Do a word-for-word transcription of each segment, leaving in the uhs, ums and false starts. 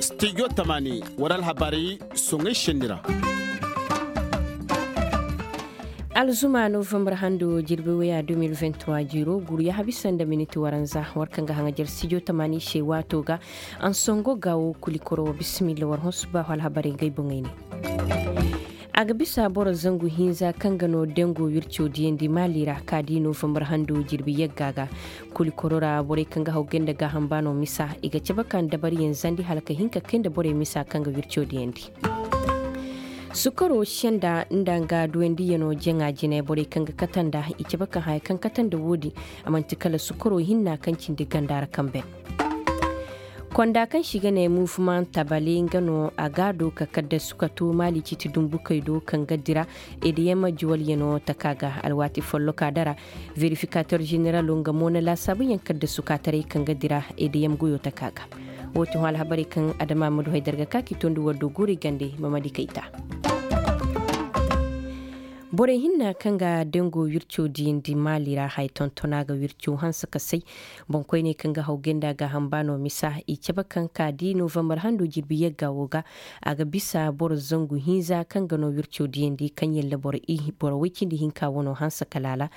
Stijo tamaani war alhabarey soŋey senni ra. Alzuma novambar hando jirbi waya deux mille vingt-trois jiiro guru yaha bisa nda miniti waranza war kaŋ ga haŋajar stijo tamaani se waato ga. Ansongo ga wo kuli koro bisimilla war hõ suba hol alhabarey ga ay boŋey ne. A ga bisa boro zangu hinza kaŋ ga no dango wirco diyandi maali ra ka di novambar hando jirbi yagga ga. Kuli koro ra borey kaŋ ga haw gay nda gaaham ba no misa i ga cabe ka nda dabariyaŋ zandi hala ka hin ka kay nda borey misa kaŋ ga wirco diyandi. Sukaro senda nda nga duwandiyaŋo jaŋa jine borey kaŋ ga kate nda i cabe ka haya kaŋ kate nda woodi. A man'ti kala sukaro hinna kaŋ cindi ganda ra kaŋ ben. Konda kaŋ se i ga ne mufuman tabali nga no a ga a do ka kaddasu ka to maali ciiti dumbukey do kaŋ ga dira. Ediyama juwalyaŋo taka ga alwaati folloka dara. Verifikator ženeralo nga mo na laasaabuyaŋ kaddasu kaataray kaŋ ga dira. Ediyam goyo taka ga. Woo ti hõ alhabarey kaŋ adama ma du hay darga ka k'i tondi war do guuri gande mamadi kayta. Borey hinna kaŋ ga dango wirco diyandi maali ra haya tontona ga wirco hanse ka say. Boŋkoyney kaŋ ga haw gay nda gaaham ba no misa i cabe kaŋ ka di novambar hando jirbi yagga woo ga. A ga bisa boro zangu hinza kaŋ ga no wirco diyandi kaŋ yalla boro woy cindi hinka wano hanse ka laala.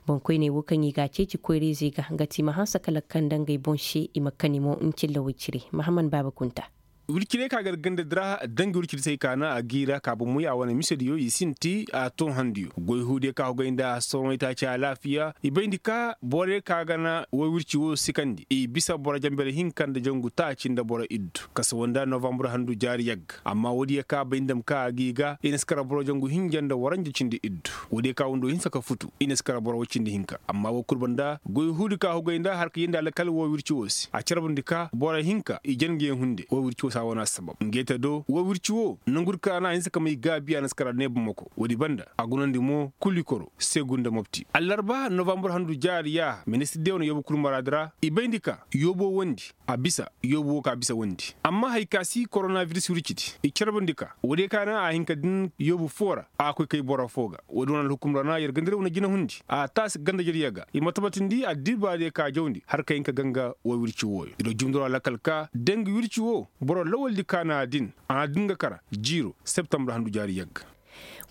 Boŋkoyney woo kaŋ i ga a ceeci koyra-izey ga nga ti i ma hanse ka lakkal nda ngey boŋ se i ma kani mo ncilla woy cire mahaman baaba kunta. Wircirey ka gar ganda dira dangi wirciri se ay kaana a giira ka bomoy a wane misediyo i sinti a too handiyo goy huudiyo ka hogay nda a soroŋey taaci alaafiya i bayndi ka borey ka gana woy wirci wo sikandi i bisa boro jambere hinka nda jangu taaci nda boro iddu kasawanda novambur handu jaari yagga amma woodiyo ka bay ndam ka a g'i ga i na si kara boro jangu hinja nda waranja cindi iddu. Woodiyo ka wando hinsa ka futu i na si kara boro woy cindi hinka amma wo kul banda goy huudi ka hogay nda har ka yeendi alkal wo wirci wo se a carbundi ka boro hinka i jan nga yaŋ hunde wo wirci wo se a wane assabab nga ay te do wo wirci wo nangu di ka na a hinsa ka may gaabi a na si kara ne bamako woodi banda a gunandi mo kuli koro segu nda mopti allarba novambur handu jaari yaaha ministir de wane yoobu kul maraadi ra i bayndi ka yoobo wondi a bisa yoobu wo ka bisa wondi amma hari ka si koronabiris wircidi i carbundi ka woodiyo ka na a hin ka din yoobu foo ra a koy kay boro foo ga woodi wane alhukum ra na yer ganda diyo wane jinahundi a taasi ganda jariya ga i ma tabatindi addibaadiyo ka jawndi har ka hin ka ganga wo wirci wooyo i do jumduro alakal ka dangi wirci wo boro lawaldi ka na a din a na din ga kara jiiro septambur handu jaari yagga.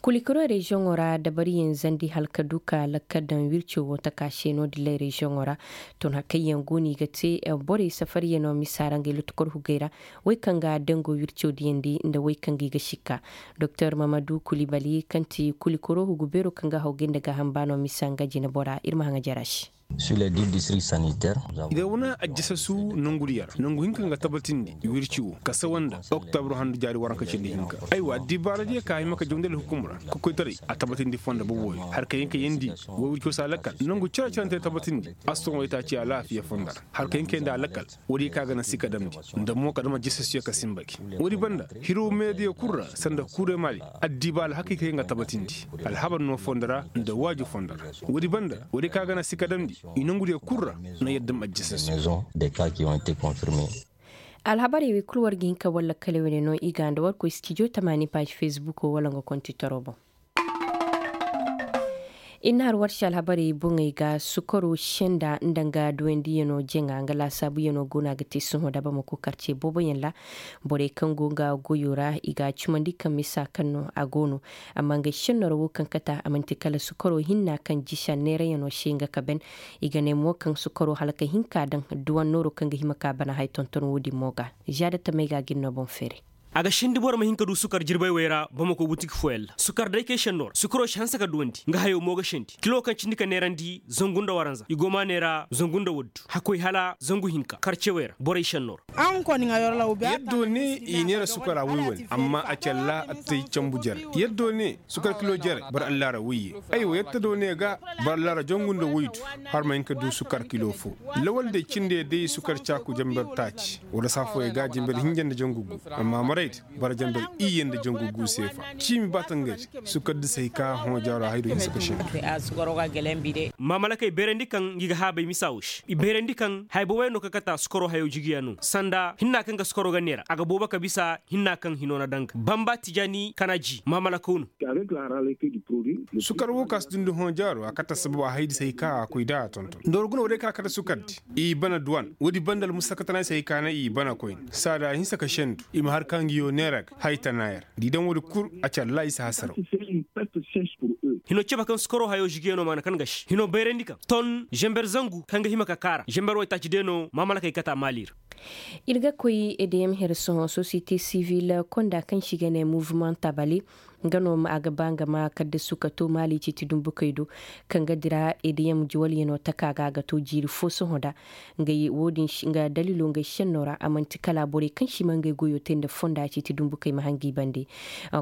Kulikiro reziyoŋo ra dabariyaŋ zandi hala ka du ka lakkal daŋ wirco wo taka se no- din lay reziyoŋo ra. Tun hakayyaŋ go no i ga te borey safaryaŋo misa ra ngey lottokor hugey ra. Wey kaŋ ga dango wirco diyandi nda wey kaŋ ga i ga sikka. Doktor mamadu kulibali kaŋ ti kulikiro hugu beero kaŋ ga haw gay nda gaaham baano misa nga jinebora ir ma haŋa jara se. I da wane ajjasasu nangu diya ra nangu hinka nga tabatindi wirci wo ka sawa nda oktobro handu jaari waranka cindi hinka. Aywa addibaara diya ka hima ka jawndi alhukum ra ka koytaray a tabatindi fonda boboyo har ka hin ka yeendi wo wirci wo se a lakkal nangu cere-cerante tabatindi. Assoŋo itaaci alaafiya fonda ra har ka hin ka yeendi a lakkal. Woodi ka ga na si ka damndi nda mo ka dam ajjasasu ya ka sinba gi. Woodi banda hirow meediya kul ra sanda kure mali addiba alhakay ka hin ga tabatindi alhabar no fondo ra nda waaju fondo ra. Woodi banda woodi ka ga na si ka damndi i nongudiyo kul ra na yadda ma ajjasasu. Alhabarey wey kul war ga hin ka war lakkale wane no i ga nda war koy stijo tamaani paazi fesbuko wala nga kontitoro boŋ. Ir na har war se alhabarey boŋey ga sukaro senda nda nga duwandiyano jaŋa nga laasaabuyanoo go no a ga te sohõ da bamako karce booboyaŋ ra. Borey kaŋ go nga goyo ra i ga a cumandi kaŋ misa kaŋ no a go no. Amma nga senno ra wo kaŋ kata a man'ti kala sukaro hinna kaŋ jisa neerayanoo se nga ka ben. I ga ne mo kaŋ sukaro hala ka hin ka daŋ duwannooro kaŋ ga hima ka bana haya tonton wo-din mo ga. Zaada tamey ga a ga ir no boŋ feeray. A ga sindi boro ma hin ka du sukar jirbay wey ra bamako butik fooyaŋ ra sukar day kay senno ra sukaro si hanse ka duwandi nga hayo mo ga sindi kilo kaŋ cindi ka neerandi zangu nda waranza i go ma neera zangu nda waddu hakkoy hala zangu hinka karce wey ra borey senno ra. Yaddo ne i neera sukara woy wane amma a calla attay cambu jere yaddo ne sukar kilo jere boro allaara woyye. Aywa yaddo ne ga boro allaara jangu nda woydu har ma hin ka du sukar kilo fo. Lawal day cinde day sukar caaku jamber taaci wala saa fooyaŋ ga jamber hinja nda jangu gu. Amma Boro janbari iyye nda jangu gu seefa ciimi ba tangay se. Sukar di se hay ka hõ jaaro haydo hinsa ka shendu. Maamalakey bayrandi kaŋ ngi ga haabay misa wo se i bayrandi kaŋ haya boboyaŋ no kaŋ kate a sukaro hayo jigiya no sanda hinna kaŋ ga sukaro ga neera a ga boobo ka bisa hinna kaŋ hino na daŋ ga bamba tijaani kana ji maamalakaw no. Sukar wo ka si dundi hõ jaaro a kate assabab a haydi se hay ka a koy da a tonton nda war guna wo day ka kate sukar di. I bana duwan woodi banda almusakatanaysey ka na i bana koyne saada a hinsa ka sendu i ma har ka ngiyo neera ga haytana yer da i daŋ woodi kul a ci allaahi si hasaraw. Hino cebe kaŋ sukaro hayo žigiyano maana kaŋ ga si hino bayrandi kaŋ ton zember zangu kaŋ ga hima ka kaara zember waytaaci de no maamalakey kata maali ra. Ir ga koy edeyam here sohõ sosiyete sivil konda kaŋ se i ga ne muvement tabale. Nga no a ga ba nga ma kaddasu ka to maali ciiti dumbukey do kaŋ ga dira edeyam juwalyano taka ga a ga to jiiri fo sohõ da. Nga daliilo ngey senno ra a man'ti kala borey kaŋ si ma ngey goyo te nda fonda ciiti dumbukey ma hangi bande.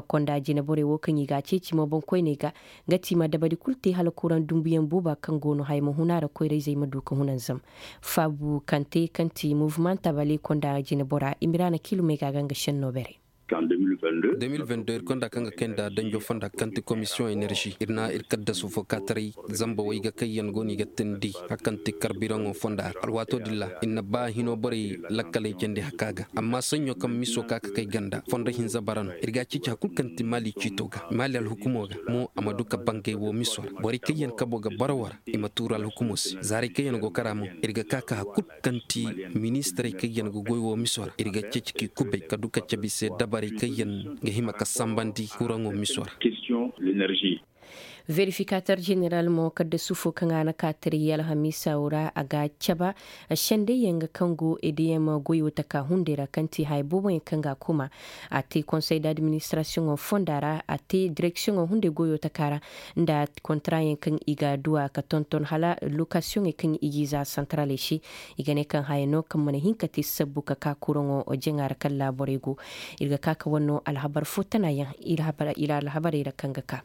Konda jine borey wo kaŋ i ga a ceeci mo boŋkoyney ga nga ti i ma dabari kulu te hala kuraŋ dumbuyaŋ booba kaŋ go no haya ma huna ra koyra-izey ma du ka hunanzam. Faabu kaŋ te kaŋ ti muvement tabale konda jine bora imiraana kiilumey ga a ga nga senno beray. De mil vingt-deux ir konda kaŋ ga kay nda danjo fonda kaŋ ti komisiyoŋ enerži ir na ir kaddasu fo kaataray zamba way ga kayyaŋ go no i ga teendi hari kaŋ ti karbiraŋo fonda ra alwaato din ra ir na ba hino borey lakkaley candi haka ga amma saɲɲo kaŋ miso ka ka kay ganda fondo hinza bara no ir ga a ceeci hari kulu kaŋ ti maali ciito ga maali alhukumo ga mo a ma du ka bangay wo miso ra borey kayyaŋ kabo ga bara war i ma tuuru alhukumo se zaarey kayyaŋ go kara mo ir ga ka ka hari kulu kaŋ ti ministirey kaŋ yaŋ ga goy wo miso ra ir ga ceeci k'i kubay ka du ka cabe i se dabarey kaŋ yaŋ ga hima ka sambandi kuraŋo miso ra. Verifikaator jeneral mo kaddasu fo kaŋ a na ka tara yee alhamiisa wo ra a ga a caba sendey yaŋ ga kaŋ go edeyam goyo taka hunday ra kaŋ ti haya boobo yaŋ kaŋ ga a kuma. A te konsey d'administirasiyoŋo fonda ra a te direksiyoŋo hunday goyo taka ra nda kontaraayaŋ kaŋ i ga a duw'a ka tonton hala lokasiyoŋey kaŋ i g'i za santaraley se. I ga ne kaŋ haya no kaŋ mana hin ka te sabbu ka ka kuraŋo jaŋa ra kaŋ laaborey go. Ir ga ka ka war no alhabar fo tanaayaŋ. Ila alhabarey ra kaŋ ga ka.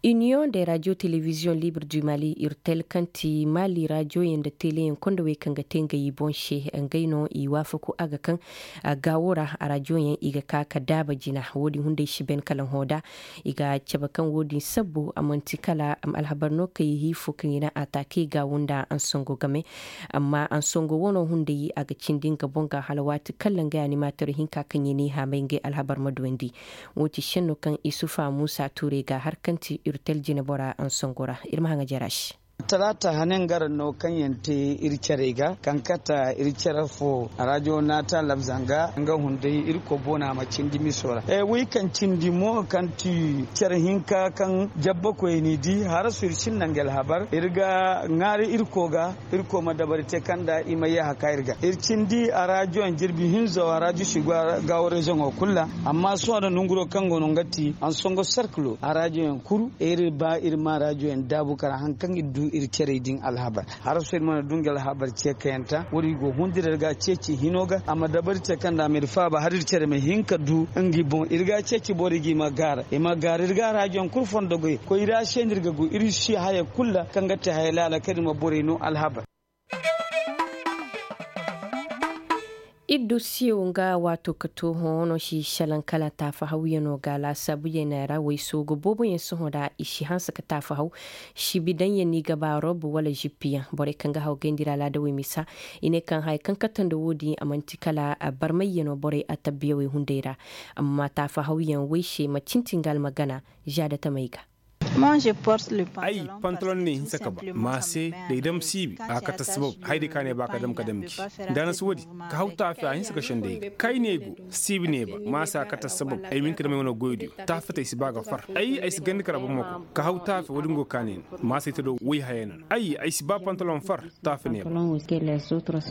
Iniyoŋ de rajo telebiziyoŋ libre du mali irtel kaŋ ti mali rajoyaŋ nda teleyaŋ kondowey kaŋ ga te ngey i boŋ se ngey no i waafaku a ga kaŋ gaawo ra arajoyaŋ i ga ka ka daaba jina wo-din hunday si ben kala hõ da. I ga cabe kaŋ wo-din sabbu a man'ti kala alhabar no kaŋ i hiifo kaŋ i na a taakey gaawu nda ansongo game. Amma ansongo wano hunday a ga cindi nga boŋ ga hala waati kala ngey animator hinka kaŋ i n'i haamay ngey alhabar ma duwandi. Wo ti senno kaŋ isufa muusa tuurey ga har kaŋ ti irtel jinebora ansongo ra ir ma haŋa jara se. Talaata hane nga ra no kaŋ yaŋ te ir carey ga kaŋ kata ir care fo arajo naata labza nga nga hunday irko boona ma cindi miso ra. Way kaŋ cindi mo kaŋ ti care hinka kaŋ jabbakoy n'i di harasu ir sinda nga alhabar ir ga ŋaari irko ga. Irko ma dabari te kaŋ nda i ma yee haka ir ga ir cindi arajo yaŋ jirbi hinzo arajo si gaawo reziyoŋo kulu ra. Amma sohõ nda nonguro kaŋ go no nga ti ansongo serkilo arajo yaŋ kuru ir ba ir ma arajo yaŋ daabu kara haŋ kaŋ ir du ir carey din alhabar. Haraso ir mana du nga alhabar ceekayanta wo-din go hundir ir ga ceeci hino ga a ma dabari te kaŋ nda a ma ir faaba hala ir care ma hin ka du ngi boŋ ir ga ceeci borey ga i ma gaara i ma gaara ir ga arajo yaŋ kulu fondo goy koy ir a se nda ir ga go ir si haya kulu ra kaŋ ga te haya laala kaŋ ir ma borey no alhabar. Iddu siyow nga waato ka to hõ no si salaŋ kala taafahawyaŋo ga laasaabuyaŋ ra waysoogo booboyaŋ sohõ ra i si hanse ka taafahaw. Sibidaŋyaŋ no i ga ba rob wala zippiyaŋ borey kaŋ ga haw gayndi ra alaadawey misa. I ne kaŋ haya kaŋ kate nda wo-din a man'ti kala barmayyaŋo borey atabbiyawey hunday ra. Amma taafahawyaŋ way se macin ti nga almagana. Za da tamey ga. Ay, pantalon ne hinsa ka ba ma se da ay dam siibi a kate sabab haydi ka ne ba ka dam ka dam gi. Nda na si woodi ka haw taafe a hinsa ka sendey ga kay ne go. Siibi ne ba ma se a kate sabab ay ma hin ka dam ay wane goydiyo. Taafe te ay si ba ga far ay ay si gandi kara boro ma koy ka haw taafe woodi nga go ka ne no ma se ay te do woy haya no ay ay si ba pantalon far. Taafe ne ba.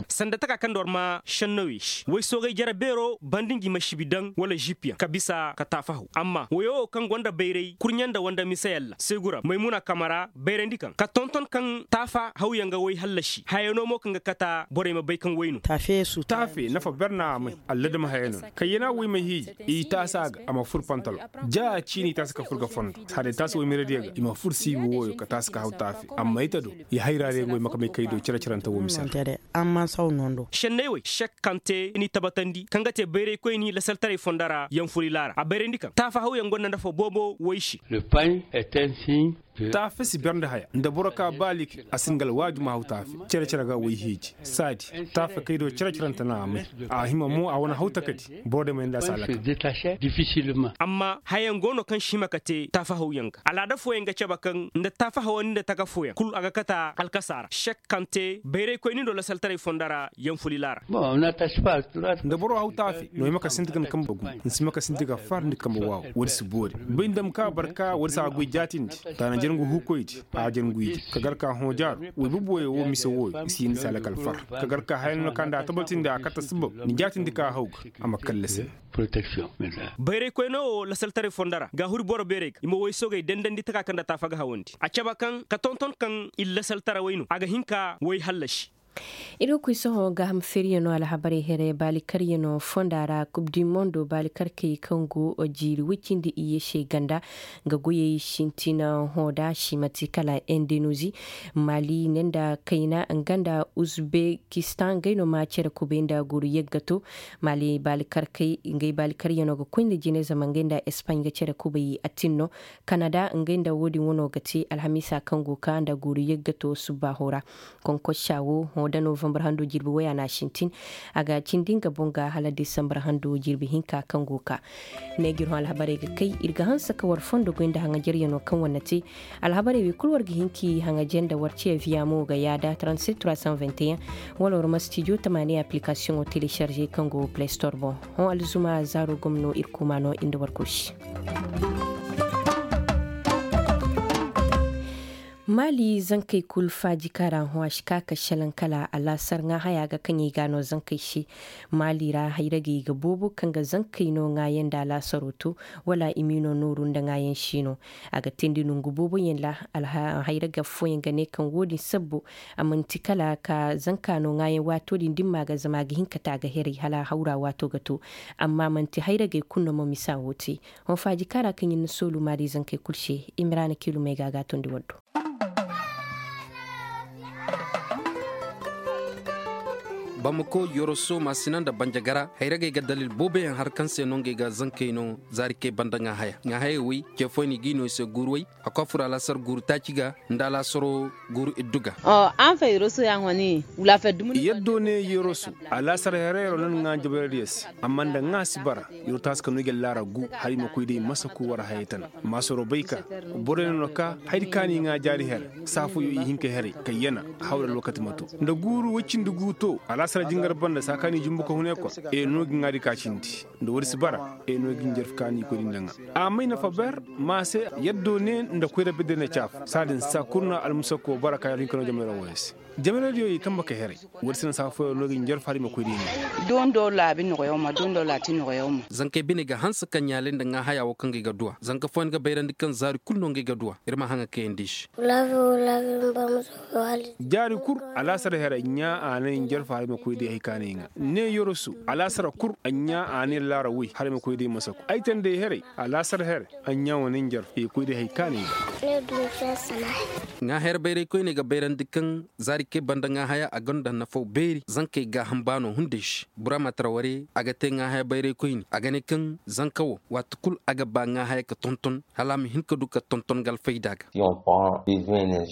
Sanda taka kaŋ nda war ma sennawey se way soogay jare beero banda ngi ma sibi daŋ wala žip yaŋ ka bisa ka taafahaw amma wayo wo kaŋ gonda bayray kurɲe nda wanda misayaŋ. Segura maymuna kamara bayrandi kaŋ ka tonton kaŋ taafa hawyaŋ ga way hallasi hayano mo kaŋ ga kata borey ma bay kaŋ way no. Taafe nafa ber na a may alladama haya no kayyana way ma hiiji i taasa ga a ma fur pantalo ja ciini taasa ka fur ga fondo. Haday taasa way miradiya ga i ma fur siibi wooyo ka taasa ka haw taafe amma ita do i hayra day ngoy makamay kay do cere-cerante wo mise ra. Amma saw nondo. Senney wey sekkante ni tabatandi kaŋ ga te bayraykoyni lasaltaray fonda ra yaŋ furi laara a bayrandi kaŋ taafa hawyaŋ gonda nafa boobo wey se. Taafe si ber nda haya nda boro ka ba like a si nga alwaaju ma haw taafe. Cere-cere ga wey hiiji saadi taafe kay do cere-cerante na a may a hima mo a wane haw takadi boro day may nda a si alaka. Amma hayaŋ go no kaŋ si hima ka te taafa hawyaŋ ga alaada fooyaŋ ga cabe kaŋ nda taafa hawandi nda taka fooyaŋ kul a ga kata alkasa ra sek kaŋ te bayraykoyni do lasaltaray fonda ra yaŋ fuli laara. Nda boro haw taafe no ay ma ka sinti ga ni kamba gu ni si ma ka sinti ga far ni kamba waaw woodi si boori bay nda ma ka barka woodi si a goy jaatindi. Taana jarngu huukoydi a jarnguydi ka gar ka hõ jaaru way bubuwey wo mise wooyo i si yindi si a lakal far ka gar ka haya no kaŋ nda a tabatindi a kata sabab ni jaatindi ka haw ga a ma kallasi. Bayraykoyno wo lasaltaray fonda ra ga huri boro beerey ga i ma woy soogey dandandi taka kaŋ nda taafa ga hawandi a cabe kaŋ ka tonton kaŋ i lasaltarawey no a ga hin ka woy hallasi. Ir ga koy sohõ gaaham feeriyano alhabarey here baalikaryanoo fonda ra kub di mondo baalikarkey kaŋ go jiiri woy cindi iyye se ganda nga goyey sintina hõ da simati kala indoneezi mali ne nda kayna nga nda uzbekistan ngey no ma cere kubay nda guuru yaggato. Mali baalikarkey ngey baalikaryanoo ga koy nda jine zama ngey nda espaaɲ ga cere kubay attin no kanada ngey nda wo-din wano ga te alhamiisa kaŋ go ka nda guuru yaggato subbaaho ra. Konkossa wo hõ da novambar hando jirbi woy a na a sintin a ga cindi nga boŋ ga hala desambar hando jirbi hinka kaŋ go ka. Ne ga ir hõ alhabarey ga kay ir ga hanse ka war fondo goy nda haŋajaryanoo kaŋ war na te. Alhabarey wey kul war ga hin k'i haŋaje nda war ce viya mo ga yaada trente-sept trois cent vingt et un wala war ma stijo tamaani appilikaasiyoŋo telecharge kaŋ go playstor boŋ. Hõ alzuma zaaro gomno ir kuuma no ir nda war kul se. Maali zankey kul faaji kaŋ ra hõ a si ka ka selaŋ kala alaasar ŋaahaya ga kaŋ i ga a no zankey se. Maali ra hayragey ga boobo kaŋ ga zankey no ŋaayaŋ nda alaasaro to wala i m'i no nooru nda ŋaayaŋ si no. A ga teendi nongu booboyaŋ ra. Hayraga fooyaŋ ga ne kaŋ wo-din sabbo a man'ti kala ka zanka no ŋaayaŋ waato din dimma ga zama a ga hin ka te a ga heray hala hawra waato ga to. Amma man'ti hayragey kul no ma misa wo te. Hõ faaji kaŋ ra kaŋ ɲin na soolu maari zankey kul se. Imiraana kiilumey ga a ga a tondi war do. Bamako yoroso maasina nda banjagara hayragey ga dalil booboyaŋ har kaŋ se no ngey ga zankey no zaari kay banda ŋaahaya ŋaahayey wey ce fooyaŋ i g'i no i se guuru wey. A koy a furo alaasar guuru taaci ga nda alaasaro guuru iddu ga. Yaddo ne yoroso alaasar herayro na ni ŋaa jabaradiyo se. Amma nda ŋaa si bara. Yer wo taasi ka no i ga laara gu hala i ma koy day masaku war hayey tana. Maasaro bay ka borey no na ka hayadi ka no i ŋaa jaari here. Saa fooyo i hin ka heray kayyana hawra alwakati ma to nda guuru woy cindi gu to alaasara jingar banda saa ka no i jumbu ka hun ekol. E no ga ŋaadi ka cindi nda woodi si bara. E no ga i njarfi ka no i koy da i nda ŋaa. A may nafa ber ma se. Yaddo ne nda koyra bidde na caafu saa din saa kul no almusako bara ka yer hin ka no jamayra wooyo se. Jamiradiyo i kamba ka heray. Woodi se na saa fooyaŋ no ga i njarfa hari ma koy da i ne. Dondo laabi nogoyaŋ ma dondo laati nogoyaŋ ma. Zankey bine ga hanse ka ɲaalay nda ŋaahaya wo kaŋ ga ay ga duwa zanka fooyaŋ ga bayrandi kaŋ zaari kul no ngey ga duwa. Ir ma haŋa kayandi i se. Jaari kul alaasar here ɲaa a na ay njarfa hari ma koy da ay hay ka na ay ŋaa ne yorosu alaasar kul a ɲaa a na ay laara woy hari ma koy da ay masaku ay tanda ay here. Alaasar here a ɲaa wane ay njarfa ay koy da ay hay ka na ay ŋaa. Ŋaa here bayray koyne ga bayrandi kaŋ zaari kay banda ŋaa haya a gonda nafaw beeri zankey gaaham baano hunday se. Bura ma tara ware a ga te ŋaa haya bayray koyne a ga ne kaŋ zanka wo waati kul a ga ba ŋaa haya ka tonton hala a ma hin ka du ka tonton nga alfayda ga.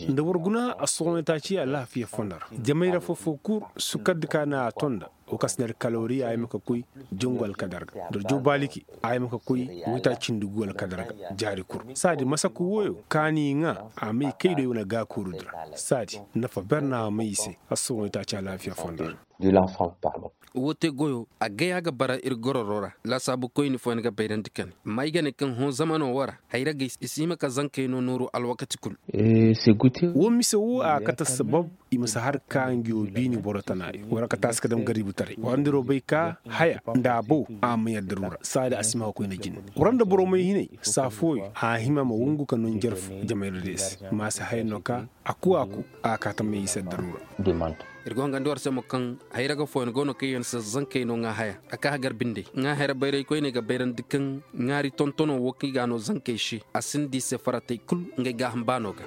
Nda war guna a sohonay taaci alaafiya fondo ra jamay ra fofo kul sukaddi ka na a tonda. Wo kaŋ si ne alkalawari a yama ka koy jangu alkadar ga nda war jaw baaliki a yama ka koy waytaaci cindi gu alkadar ga. Jaari kul saadi masaku wooyo kaani ŋaa a may kay do ay wane gaakoorudi ra. Saadi nafa ber na a may i se. Assohõ i taaci alaafiya fondo ra. Wo te goyo a gay a ga bara ir gororo ra. Laasaabu koyni fooyaŋ ga bayrandi kane amma ay ga ne kaŋ hõ zamano wo ra hayragey i si hima ka zankey no nooru alwakati kul. Wo mise wo a kate sabab. i ma si har ka ngiyo biini boro tanaari wala ka taasi ka dam gaributaray wala nda ro bay ka haya nda a bow a ma yadda rura saadi a si ma koyne jine. Wara nda boro may hinay saa fooyo a hima ma wungu ka noo njarfu jamayra day se. Ma si haya no ka a ku a ku a ka tamay i se yadda rura. Ir go hangandi war se mo kaŋ hayra ga fooyaŋ go no kaŋ yaŋ se zankey no ŋaa haya a ka hagar binde ŋaa hayra bayray koyney ga bayrandi kaŋ ŋaari tontono wo kaŋ i ga a no zankey se a sinda i se faratey kul ngey gaaham baano ga.